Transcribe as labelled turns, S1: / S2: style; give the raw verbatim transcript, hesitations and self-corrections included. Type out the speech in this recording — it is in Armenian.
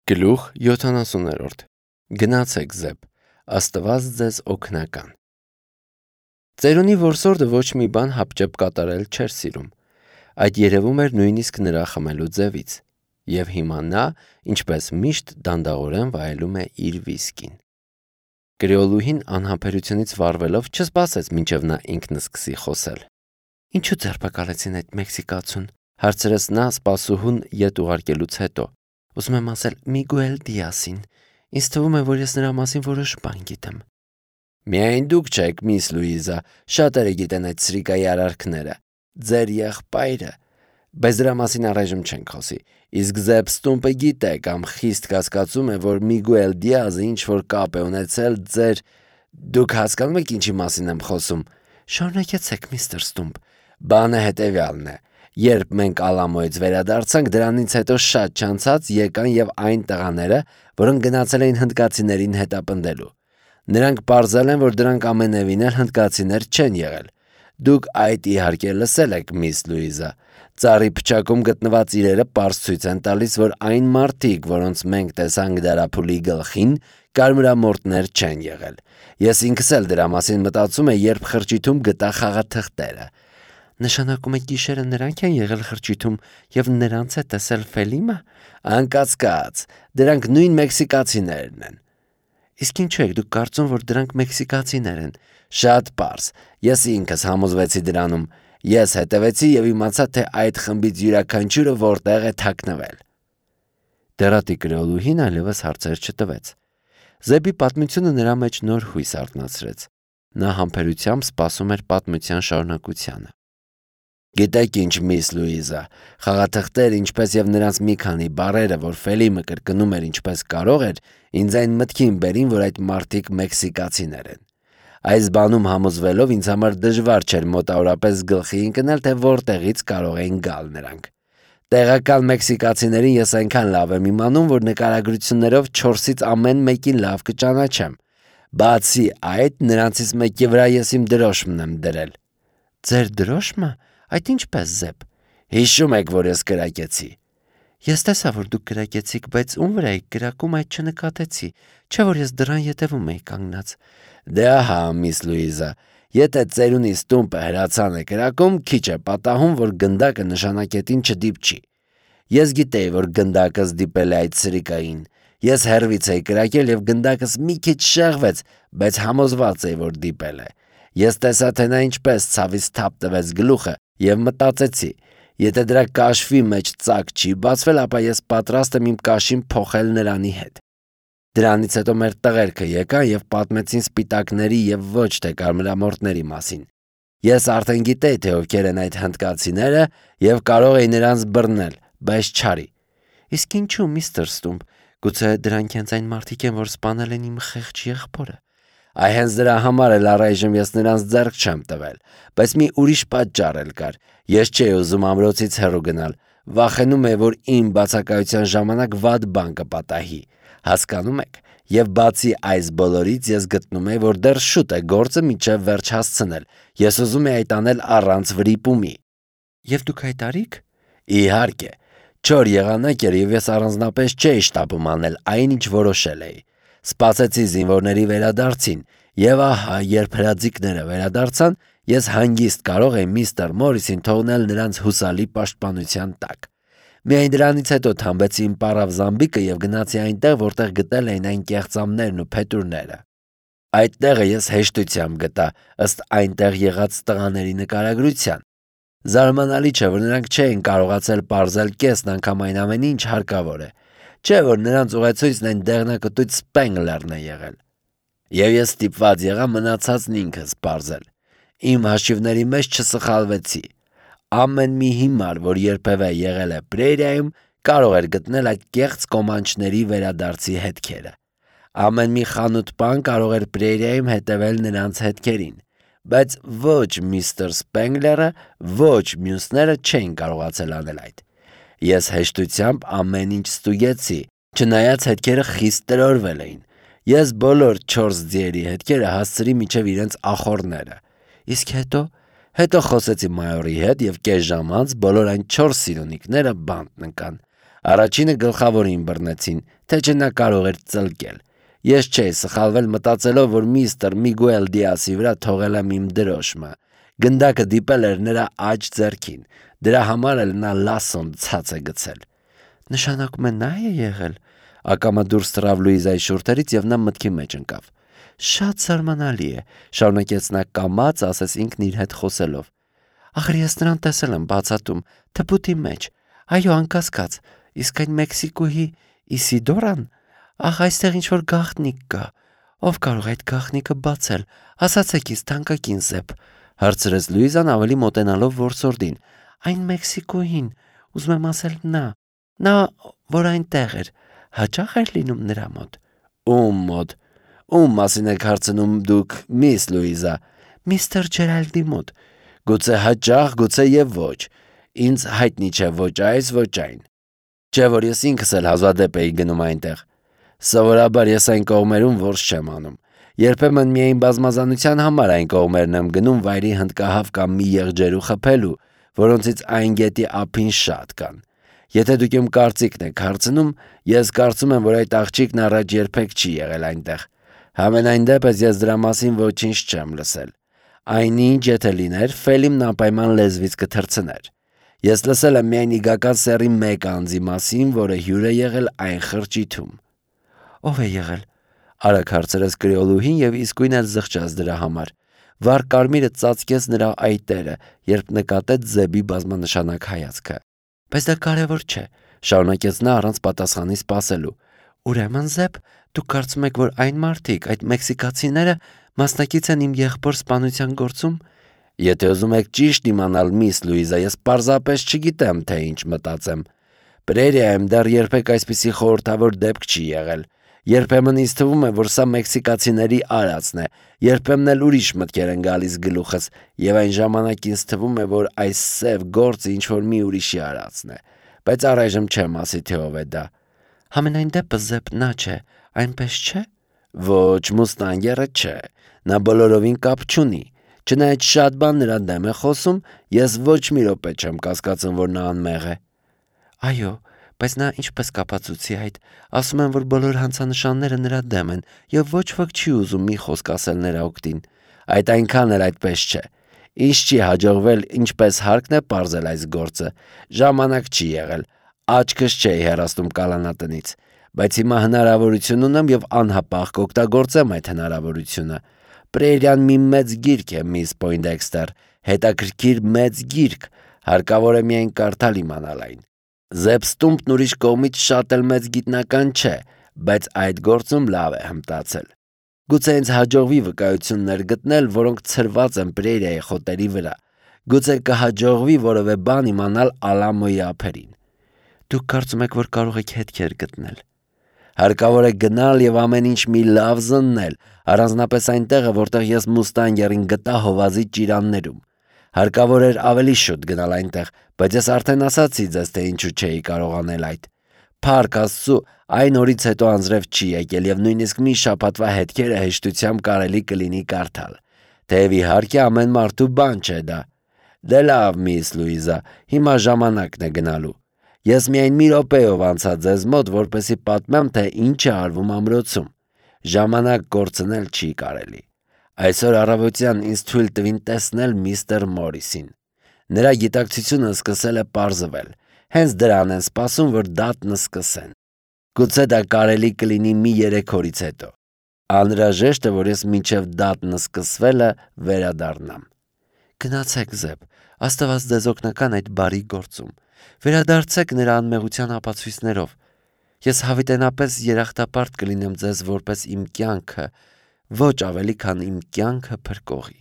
S1: Գլուխ յոթանասուններորդ Գնացեք Զեբ, Աստված ձեզ օգնական։ Ծերունի որսորդը ոչ մի բան հապճեպ կատարել չէր սիրում։ Այդ երևում էր նույնիսկ նրա խմելու ձևից։ Եվ հիմա նա, ինչպես միշտ, դանդաղորեն վայելում է իր վիսկին։ Կրեոլուհին անհամբերությունից վառվելով չսպասեց մինչև նա ինքն սկսի խոսել։ Ինչու ձերբակալեցին այդ մեքսիկացուն, հարցրեց նա սպասուհուն ետ ուղարկելուց հետո։ Ուզում եմ ասել Միգուել Դիասին։ Ինձ թվում է, որ ես նրա մասին որոշ բան գիտեմ։ Միայն դուք չեք, միս Լուիզա, շատերը գիտեն այդ սրիկայի արարքները։ Ձեր եղբայրը։ Բայց դրա մասին առայժմ չենք խոսի։ Իսկ Զեբ Ստումպը գիտե կամ խիստ կասկածում է, որ Միգուել Դիազը ինչ-որ կապ է ունեցել ձեր… Դուք հասկանում եք ինչի մասին եմ խոսում։ Շարունակեցեք, միստր Ստումպ։ Բանը հետևյալն է։ Երբ մենք Ալամոյից վերադարձանք, դրանից հետո շատ չանցած եկան եւ այն տղաները, որոնք գնացել էին հնդկացիներին հետապնդելու։ Նրանք պարզել են, որ դրանք ամենևին էլ հնդկացիներ չեն եղել։ Դուք այդ իհարկե լսել եք, միս Լուիզա։ Ծառի փչակում գտնված իրերը պարզ ցույց են տալիս, որ այն մարդիկ, որոնց մենք տեսանք դարափուլի գլխին, կարմրամորտներ չեն եղել։ Ես ինքս էլ դրա մասին մտածում եմ, երբ խրճիթում գտա խաղաթղթերը։ Նշանակում է գիշերը նրանք են եղել խրճիթում եւ նրանց է տեսել Ֆելիմը։ Անկասկած, դրանք նույն մեքսիկացիներն են։ Իսկ ինչու եք դուք կարծում, որ դրանք մեքսիկացիներ են։ Շատ պարզ։ Ես ինքս համոզվեցի դրանում։ Ես հետևեցի եւ իմացա, թե այդ խմբից յուրաքանչյուրը որտեղ է թաքնվել։ Դերատի կրեոլուհին այլևս հարցեր չտվեց։ Զեբի պատմությունը նրա մեջ նոր հույս արթնացրեց։ Նա համբերությամբ սպասում էր պատմության շարունակությանը։ Գիտեք ինչ, միս Լուիզա, խաղաթղթեր, ինչպես եւ նրանց մի քանի բառերը, որ Ֆելիմը կրկնում էր ինչպես կարող էր, ինձ այն մտքին բերին, որ այդ մարդիկ մեքսիկացիներ են։ Այս բանում համոզվելով ինձ համար դժվար չէր մոտավորապես գլխի ընկնել, թե որտեղից կարող էին գալ նրանք։ Տեղական մեքսիկացիներին ես այնքան լավ եմ իմանում, որ նկարագրություններով չորսից ամեն մեկին լավ կճանաչեմ։ Բացի այդ, նրանցից մեկի վրա ես իմ դրոշմն եմ դրել։ Ձեր դրոշմը։ Այդ ինչպես Զեբ։ Հիշում եք, որ ես կրակեցի։ Ես տեսա, որ դուք կրակեցիք, բայց ում վրա եք կրակում, այդ չնկատեցի, չէ՞ որ ես դրան ետևում էի կանգնած։ Դե ահա, միս Լուիզա, եթե ծերունի Ստումպը հրացան է կրակում, քիչ է պատահում, որ գնդակը նշանակետին չդիպչի։ Ես գիտեի, որ գնդակս դիպել է այդ սրիկային։ Ես հեռվից էի կրակել եւ գնդակս մի քիչ շեղվեց, բայց համոզված էի, որ դիպել է։ Ես տեսա, թե նա ինչպես ցավից թափ տվեց գլուխը եւ մտածեցի, եթե դրա կաշվի մեջ ծակ չի բացվել, ապա ես պատրաստ եմ իմ կաշին փոխել նրանի հետ։ Դրանից հետո մեր տղերքը եկան եւ պատմեցին սպիտակների եւ ոչ թե կարմրամորտների մասին։ Ես արդեն գիտեի, թե ովքեր են այդ հնդկացիները եւ կարող էի նրանց բռնել, բայց չարի։ Իսկ ինչու, միստր Ստումպ, գուցե դրանք հենց այն մարդիկ են, որ սպանել են իմ խեղճ եղբորը։ Այ հենց դրա համար էլ առայժմ ես նրանց ձեռք չեմ տվել, բայց մի ուրիշ պատճառ էլ կար։ Ես չէի ուզում ամրոցից հեռու գնալ, վախենում էի, որ իմ բացակայության ժամանակ վատ բան կպատահի։ Հասկանում եք։ Եվ բացի այս բոլորից ես գտնում եի, որ դեռ շուտ է գործը մինչև վերջ հասցնել։ Ես ուզում էի այդ անել առանց վրիպումի։ Եվ դուք հայտարիք։ Իհարկե։ Չոր եղանակ էր եւ ես առանձնապես չէի շտապում անել այն, ինչ որոշել էի։ Սպասեցի զինվորների վերադարձին, եւ ահա, երբ հրաձիկները վերադարձան, ես հանգիստ կարող էի միստր Մորիսին թողնել նրանց հուսալի պաշտպանության տակ։ Միայն դրանից հետո թամբեցի իմ պարավ զամբիկը եւ գնացի այնտեղ, որտեղ գտել էին այն կեղծամներն ու փետուրները։ Այդ տեղը ես հեշտությամբ գտա, ըստ այնտեղ եղած տղաների նկարագրության։ Զարմանալի չէ, որ նրանք չէին կարողացել պարզել կեսն անգամ այն ամեն ինչ հարկավոր է։ Չէ՞ որ նրանց ուղեցույցն այն դեղնակտույց Սպենգլերն է եղել։ Եվ ես ստիպված եղա մնացածն ինքս պարզել։ Իմ հաշիվների մեջ չսխալվեցի։ Ամեն մի հիմար, որ երբևէ եղել է Պրերիայում, կարող էր գտնել այդ կեղծ կոմանչների վերադարձի հետքերը։ Ամեն մի խանութ-պան կարող էր Պրերիայում հետևել նրանց հետքերին, բայց ոչ միստր Սպենգլերը, ոչ մյուսները չէին կարողացել անել այդ։ Ես հեշտությամբ ամեն ինչ ստուգեցի, չնայած հետքերը խիստ տրորվել էին։ Ես բոլոր չորս ձիերի հետքերը հասցրի մինչև իրենց ախոռները։ Իսկ հետո, հետո խոսեցի մայորի հետ եւ կես ժամ անց բոլոր այն չորս սիրունիկները բանտ նկան։ Առաջինը գլխավորին բռնեցին, թե չէ նա կարող էր ծլկել։ Ես չէի սխալվել մտածելով, որ միստր Միգուել Դիասի վրա թողել եմ իմ դրոշմը։ Գնդակը դիպել էր նրա աջ ձեռքին, դրա համար էլ նա լասոն ցած է գցել։ Նշանակում է նա է եղել։ Ակամա դուրս թռավ Լուիզայի շուրթերից եւ նա մտքի մեջ ընկավ։ Շատ զարմանալի է, շարունակեց նա կամաց, ասես ինքն իր հետ խոսելով։ Ախր ես նրան տեսել եմ բացատում, թփուտի մեջ։ Այո, անկասկած, իսկ այն Մեքսիկոյի Իսիդորան, ախ, այստեղ ինչ-որ գաղտնիք կա։ Ով կարող է այդ գաղտնիքը բացել։ Ասացեք ինձ, թանկագին Զեփ, հարցրեց Լուիզան ավելի մոտենալով որսորդին։ Այն Մեքսիկոյին, ուզում եմ ասել նա։ Նա, որ այնտեղ էր, հաճախ էր լինում նրա մոտ։ Ում մոտ։ Ում մասին եք հարցնում դուք, միս Լուիզա։ Միստր Ջերալդի մոտ։ Գուցե հաճախ, գուցե եւ ոչ։ Ինձ հայտնի չէ ոչ այս, ոչ այն։ Չէ որ ես ինքս էլ հազվադեպ էի գնում այնտեղ։ Սովորաբար ես այն կողմերում որս չեմ անում։ Երբեմն միայն բազմազանության համար այն կողմերն եմ գնում վայրի հնդկահավ կամ մի եղջերու խփելու, որոնցից այն գետի ափին շատ կան։ Եթե դուք իմ կարծիքն եք հարցնում, ես կարծում եմ, որ այդ աղջիկն առաջ երբեք չի եղել այնտեղ։ Համենայն դեպս ես դրա մասին ոչինչ չեմ լսել։ Այնինչ եթե լիներ, Ֆելիմն անպայման լեզվից կթռցներ։ Ես լսել եմ միայն իգական սեռի մեկ անձի մասին, որը հյուր է եղել այն խրճիթում։ Ով է եղել։ Արագ հարցրեց կրեոլուհին եւ իսկույն էլ զղջաց դրա համար։ Վառ կարմիրը ծածկեց նրա այտերը, երբ նկատեց Զեբի բազմանշանակ հայացքը։ Բայց դա կարևոր չէ, շարունակեց նա առանց պատասխանի սպասելու։ Ուրեմն Զեփ, դուք կարծում եք, որ այն մարդիկ, այդ մեքսիկացիները մասնակից են իմ եղբոր սպանության գործում։ Եթե ուզում եք ճիշտ իմանալ, միս Լուիզա, ես պարզապես չգիտեմ, թե ինչ մտածեմ։ Պրերիայում դեռ երբեք այսպիսի խորհրդավոր դեպք չի եղել։ Երբեմն ինձ թվում է, որ սա մեքսիկացիների արածն է, երբեմն էլ ուրիշ մտքեր են գալիս գլուխս, եւ այն ժամանակ ինձ թվում է, որ այս սև գործը ինչ-որ մի ուրիշի արածն է, բայց առայժմ չեմ ասի, թե ով է դա։ Համենայն դեպս Զեփ նա չէ, այնպես չէ։ Ոչ, Մուստանգերը չէ, նա բոլորովին կապ չունի։ Չնայած շատ բան նրա դեմ է խոսում, ես ոչ մի րոպե չեմ կասկածում, որ նա անմեղ է։ Այո, բայց նա ինչպես կապացուցի այդ, ասում են, որ բոլոր հանցանշանները նրա դեմ են եւ ոչ ոք չի ուզում մի խոսք ասել նրա օգտին։ Այդ այնքան էլ այդպես չէ։ Ինչ չի հաջողվել, ինչպես հարկն է պարզել այս գործը։ Ժամանակ չի եղել։ Աչքս չէի հեռացնում կալանատնից, բայց հիմա հնարավորություն ունեմ եւ անհապաղ կօգտագործեմ այդ հնարավորությունը։ Պրերիան մի մեծ գիրք է, միս Պոյնդեքստեր, հետաքրքիր մեծ գիրք, հարկավոր է միայն կարդալ իմանալ այն։ Զեփ Ստումպն ուրիշ կողմից շատ էլ մեծ գիտնական չէ, բայց այդ գործում լավ է հմտացել։ Գուցե ինձ հաջողվի վկայություններ գտնել, որոնք ցրված են Պրերիայի խոտերի վրա։ Գուցե կհաջողվի որևէ բան իմանալ Ալամոյի ափերին։ Դուք կարծում եք, որ կարող եք հետքեր գտնել։ Հարկավոր է գնալ եւ ամեն ինչ մի լավ զննել, առանձնապես այնտեղը, որտեղ ես Մուստանգերին գտա հովազի ճիրաններում։ Հարկավոր էր ավելի շուտ գնալ այնտեղ, բայց ես արդեն ասացի ձեզ, թե ինչու չէի կարող անել այդ։ Փառք Աստծո, այն օրից հետո անձրև չի եկել եւ նույնիսկ մի շաբաթվա հետքերը հեշտությամբ կարելի կլինի կարդալ։ Թեև իհարկե ամեն մարդու բան չէ դա։ Դե լավ, միս Լուիզա, հիմա ժամանակն է գնալու։ Ես միայն մի րոպեով անցա ձեզ մոտ, որպեսզի պատմեմ, թե ինչ է արվում ամրոցում։ Ժամանակ կորցնել չի կարելի։ Այսօր առավոտյան ինձ թույլ տվին տեսնել միստր Մորիսին։ Նրա գիտակցությունը սկսել է պարզվել։ Հենց դրան են սպասում, որ դատն սկսեն։ Գուցե դա կարելի կլինի մի երեք օրից հետո։ Անհրաժեշտ է, որ ես մինչև դատն սկսվելը վերադառնամ։ Գնացեք Զեփ, Աստված ձեզ օգնական այդ բարի գործում։ Վերադարձեք նրա անմեղության ապացույցներով։ Ես հավիտենապես երախտապարտ կլինեմ ձեզ որպես իմ կյանքը, ոչ ավելի քան իմ կյանքը փրկողի։